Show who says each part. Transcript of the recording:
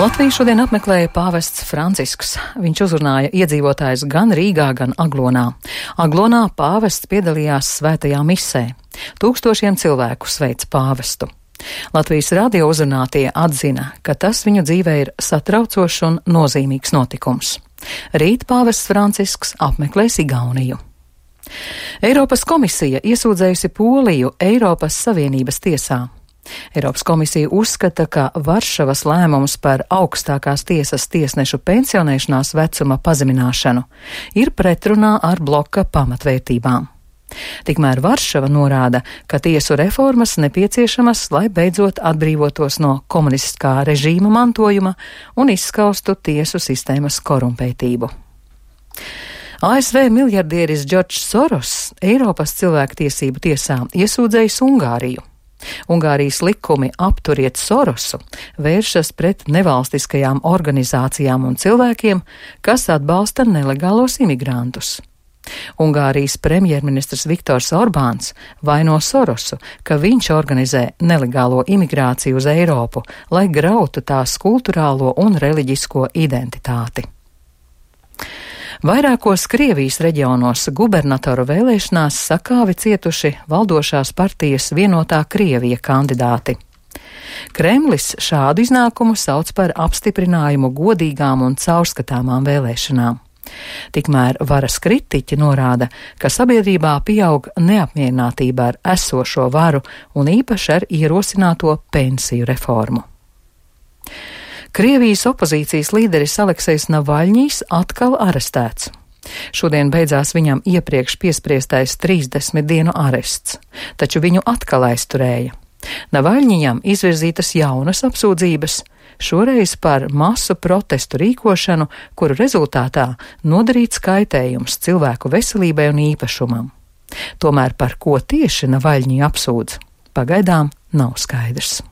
Speaker 1: Latviju šodien apmeklēja pāvests Francisks. Viņš uzrunāja iedzīvotājus gan Rīgā, gan Aglonā. Aglonā pāvests piedalījās svētajā misē. Tūkstošiem cilvēku sveica pāvestu. Latvijas radio uzrunātie atzina, ka tas viņu dzīvē ir satraucošs un nozīmīgs notikums. Rīt pāvests Francisks apmeklēs Igauniju. Eiropas komisija iesūdzējusi Poliju Eiropas Savienības tiesā. Eiropas komisija uzskata, ka Varšavas lēmums par augstākās tiesas tiesnešu pensionēšanās vecuma pazemināšanu ir pretrunā ar bloka pamatvērtībām. Tikmēr Varšava norāda, ka tiesu reformas nepieciešamas, lai beidzot atbrīvotos no komunistiskā režīma mantojuma un izskaustu tiesu sistēmas korumpētību. ASV miljardieris Džordžs Soros Eiropas cilvēktiesību tiesā iesūdzējis Ungāriju. Ungārijas likumi Apturiet Sorosu vēršas pret nevalstiskajām organizācijām un cilvēkiem, kas atbalsta nelegālos imigrantus. Ungārijas premjerministrs Viktors Orbāns vaino Sorosu, ka viņš organizē nelegālo imigrāciju uz Eiropu, lai grautu tās kulturālo un reliģisko identitāti. Vairākos Krievijas reģionos gubernatoru vēlēšanās sakāvi cietuši valdošās partijas Vienotā Krievija kandidāti. Kremlis šādu iznākumu sauc par apstiprinājumu godīgām un caurskatāmām vēlēšanām. Tikmēr varas kritiķi norāda, ka sabiedrībā pieaug neapmierinātība ar esošo varu un īpaši ar ierosināto pensiju reformu. Krievijas opozīcijas līderis Aleksejs Navaļņijs atkal arestēts. Šodien beidzās viņam iepriekš piespriestais 30 dienu arests, taču viņu atkal aizturēja. Navaļņijam izvirzītas jaunas apsūdzības, šoreiz par masu protestu rīkošanu, kuru rezultātā nodarīts kaitējums cilvēku veselībai un īpašumam. Tomēr par ko tieši Navaļņiju apsūdz, pagaidām nav skaidrs.